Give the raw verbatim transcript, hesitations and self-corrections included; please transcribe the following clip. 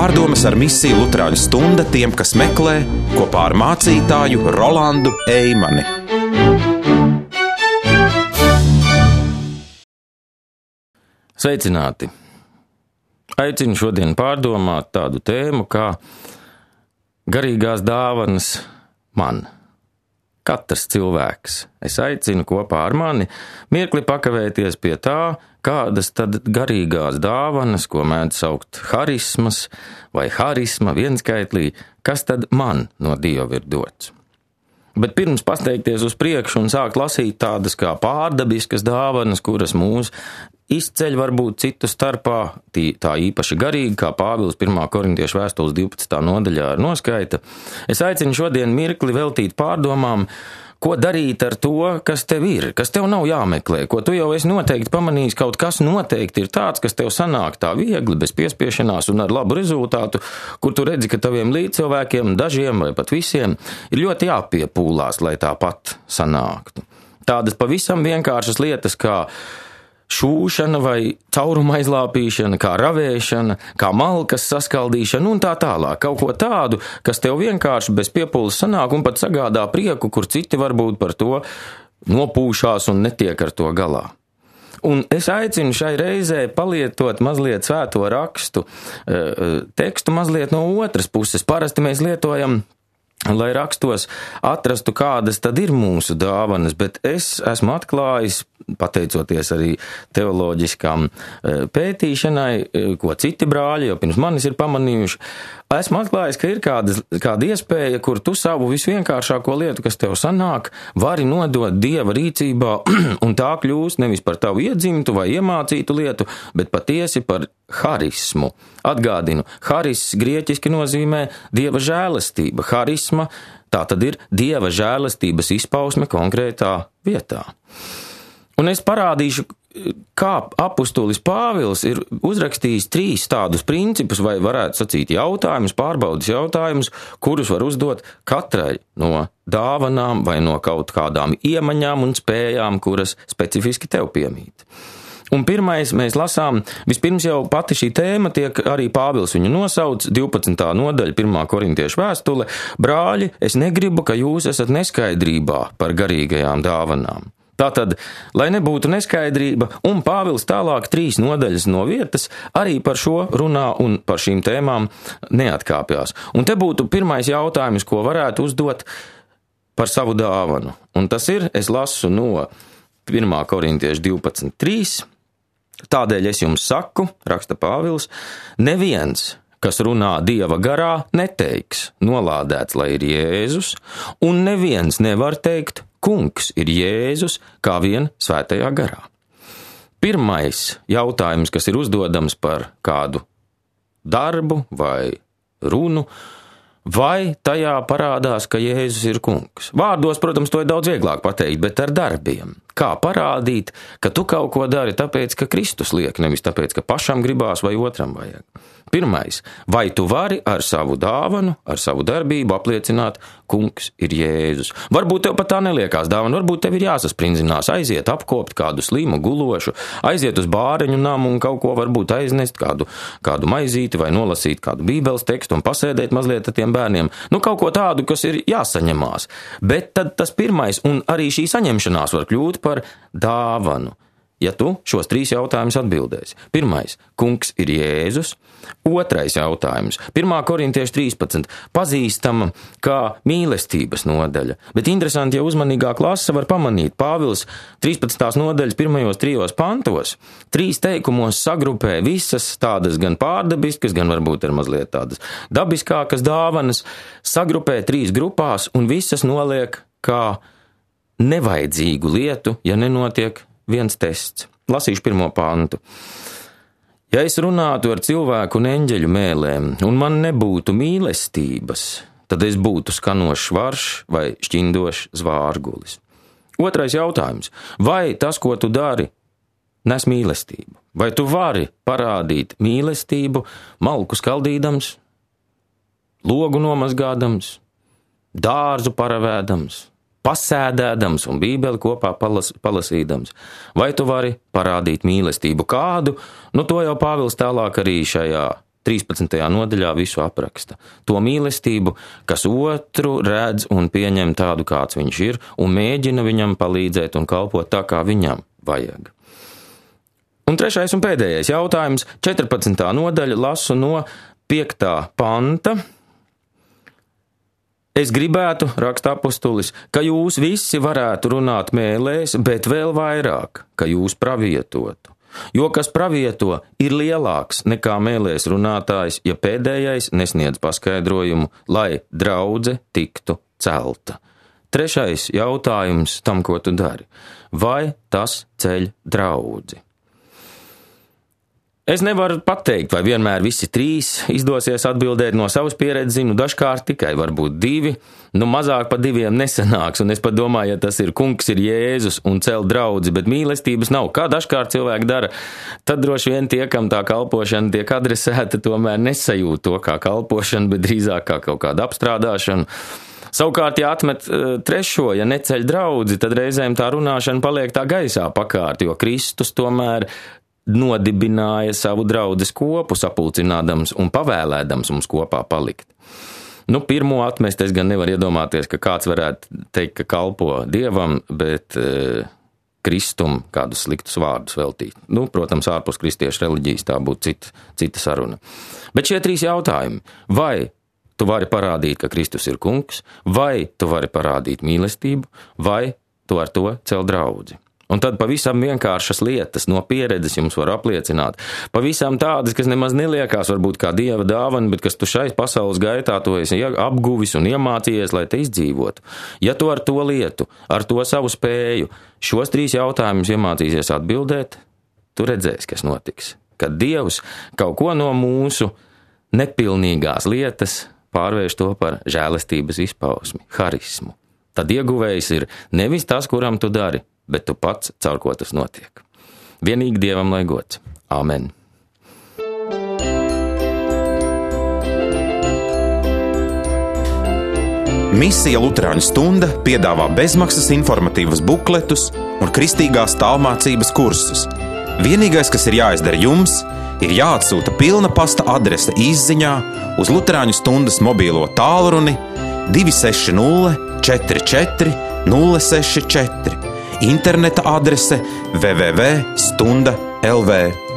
Pārdomas ar misiju Luterāņu stunda tiem, kas meklē, kopā ar mācītāju Rolandu Eimani. Sveicināti! Aicinu šodien pārdomāt tādu tēmu kā garīgās dāvanas man. Katrs cilvēks. Es aicinu kopā ar mani mirkli pakavēties pie tā, kādas tad garīgās dāvanas, ko mēdz saukt harismas vai harisma vienskaitlī, kas tad man no Dieva ir dots. Bet pirms pasteikties uz priekšu un sākt lasīt tādas kā pārdabiskas dāvanas, kuras mūs izceļ varbūt citu starpā, tā īpaši garīgi, kā Pāvils pirmā korintiešu vēstules divpadsmitā nodaļā ar noskaita, es aicinu šodien mirkli veltīt pārdomām, ko darīt ar to, kas tev ir, kas tev nav jāmeklē, ko tu jau esi noteikti pamanījis, kaut kas noteikti ir tāds, kas tev sanāk tā viegli, bez piespiešanās un ar labu rezultātu, kur tu redzi, ka taviem līdzcilvēkiem, dažiem vai pat visiem, ir ļoti jāpiepūlās, lai tāpat sanāktu. Tādas pavisam vienkāršas lietas kā šūšana vai cauruma aizlāpīšana, kā ravēšana, kā malkas saskaldīšana un tā tālāk. Kaut ko tādu, kas tev vienkārši bez piepūles sanāk un pat sagādā prieku, kur citi varbūt par to nopūšās un netiek ar to galā. Un es aicinu šai reizē palietot mazliet svēto rakstu tekstu mazliet no otras puses. Parasti mēs lietojam, lai rakstos atrastu, kādas tad ir mūsu dāvanas, bet es esmu atklājis, pateicoties arī teoloģiskām pētīšanai, ko citi brāļi jau pirms manis ir pamanījuši, esmu atklājis, ka ir kāda, kāda iespēja, kur tu savu visvienkāršāko lietu, kas tev sanāk, vari nodot Dieva rīcībā, un tā kļūst nevis par tavu iedzimtu vai iemācītu lietu, bet patiesi par harismu. Atgādinu, haris grieķiski nozīmē Dieva žēlastība. Harisma, tā tad ir Dieva žēlastības izpausme konkrētā vietā. Un es parādīšu, kā apustulis Pāvils ir uzrakstījis trīs tādus principus, vai varētu sacīt jautājumus, pārbaudas jautājumus, kurus var uzdot katrai no dāvanām vai no kaut kādām iemaņām un spējām, kuras specifiski tev piemīt. Un pirmais mēs lasām, vispirms jau pati šī tēma tiek arī Pāvils viņu nosauc, divpadsmitā nodaļa, pirmā korintiešu vēstule, brāļi, es negribu, ka jūs esat neskaidrībā par garīgajām dāvanām. Tātad, lai nebūtu neskaidrība, un Pāvils tālāk trīs nodaļas no vietas arī par šo runā un par šīm tēmām neatkāpjās. Un te būtu pirmais jautājums, ko varētu uzdot par savu dāvanu. Un tas ir, es lasu no pirmā korintiešu divpadsmit trīs, tādēļ es jums saku, raksta Pāvils, neviens, kas runā Dieva garā, neteiks, nolādēts, lai ir Jēzus, un neviens nevar teikt, Kungs ir Jēzus, kā vien svētajā garā. Pirmais jautājums, kas ir uzdodams par kādu darbu vai runu, vai tajā parādās, ka Jēzus ir kungs. Vārdos, protams, to ir daudz vieglāk pateikt, bet ar darbiem. Kā parādīt, ka tu kaut ko dari tāpēc, ka Kristus liek, nevis tāpēc, ka pašam gribās vai otram vajag. Pirmais, vai tu vari ar savu dāvanu, ar savu darbību apliecināt, kungs ir Jēzus. Varbūt tev pat tā neliekās dāvana, varbūt tev ir jāsasprindzinās, aiziet apkopt kādu slimu gulošu, aiziet uz bāreņu namu un kaut ko varbūt aiznest, kādu, kādu maizīti vai nolasīt kādu bībeles tekstu un pasēdēt mazliet ar tiem bērniem. Nu, kaut ko tādu, kas ir jāsaņemās. Bet tad tas pirmais un arī šī saņemšanās var kļūt par dāvanu. Ja tu šos trīs jautājumus atbildēsi. Pirmais, kungs ir Jēzus. Otrais jautājums, pirmā korintiešu trīspadsmit, pazīstama kā mīlestības nodaļa. Bet interesanti, ja uzmanīgāk lasa, var pamanīt, Pāvils trīspadsmitās nodaļas pirmajos trijos pantos, trīs teikumos sagrupē visas tādas gan pārdabiskas, gan varbūt ir mazliet tādas dabiskākas dāvanas, sagrupē trīs grupās un visas noliek kā nevajadzīgu lietu, ja nenotiek viens tests. Lasīšu pirmo pantu. Ja es runātu ar cilvēku un eņģeļu mēlēm, un man nebūtu mīlestības, tad es būtu skanošs varš vai šķindošs zvārgulis. Otrais jautājums. Vai tas, ko tu dari, nes mīlestību? Vai tu vari parādīt mīlestību, malku skaldīdams, logu nomazgādams, dārzu paravēdams, pasēdēdams un bībeli kopā palas, palasīdams. Vai tu vari parādīt mīlestību kādu? Nu, to jau Pāvils tālāk arī šajā trīspadsmitajā nodaļā visu apraksta. To mīlestību, kas otru redz un pieņem tādu, kāds viņš ir, un mēģina viņam palīdzēt un kalpot tā, kā viņam vajag. Un trešais un pēdējais jautājums, četrpadsmitā nodaļa, lasu no piektā panta. Es gribētu, raksta apustulis, ka jūs visi varētu runāt mēlēs, bet vēl vairāk, ka jūs pravietotu. Jo kas pravieto ir lielāks nekā mēlēs runātājs, ja pēdējais nesniedz paskaidrojumu, lai draudze tiktu celta. Trešais jautājums tam, ko tu dari. Vai tas ceļ draudzi? Es nevaru pateikt, vai vienmēr visi trīs izdosies atbildēt no savas pieredzes, zinu, dažkārt tikai varbūt divi, nu mazāk pa diviem nesanāks, un es pat domāju, ja tas ir kungs, ir Jēzus un cel draudzi, bet mīlestības nav. Kā dažkārt cilvēki dara, tad droši vien tie, kam tā kalpošana tiek adresēta, tomēr nesajūt to kā kalpošana, bet drīzāk kā kaut kāda apstrādāšana. Savukārt, ja atmet trešo, ja neceļ draudzi, tad reizēm tā runāšana paliek tā gaisā pakārt, jo Kristus tomēr nodibināja savu draudzes kopu, sapulcinādams un pavēlēdams mums kopā palikt. Nu, pirmo atmest es gan nevaru iedomāties, ka kāds varētu teikt, ka kalpo Dievam, bet e, Kristum kādus sliktus vārdus veltīt. Nu, protams, ārpus kristiešu reliģijas tā būtu cita, cita saruna. Bet šie trīs jautājumi, vai tu vari parādīt, ka Kristus ir kungs, vai tu vari parādīt mīlestību, vai tu ar to cel draudzi. Un tad pavisam vienkāršas lietas no pieredzes jums var apliecināt. Pavisam tādas, kas nemaz neliekās varbūt kā Dieva dāvana, bet kas tu šai pasaules gaitā to esi apguvis un iemācījies, lai te izdzīvotu. Ja tu ar to lietu, ar to savu spēju, šos trīs jautājumus iemācīsies atbildēt, tu redzēsi, kas notiks. Kad Dievs kaut ko no mūsu nepilnīgās lietas pārvērš to par žēlastības izpausmi, harismu. Tad ieguvējs ir nevis tas, kuram tu dari, bet tu pats, caur ko tas notiek. Vienīgi Dievam lai gods. Āmen. Misija Luterāņu stunda piedāvā bezmaksas informatīvas bukletus un kristīgās tālmācības kursus. Vienīgais, kas ir jāizdara jums, ir jāatsūta pilna pasta adrese izziņā uz Luterāņu stundas mobīlo tālruni divi seši nulle četri četri nulle seši četri. Interneta adrese w w w punkt stunda punkt l v.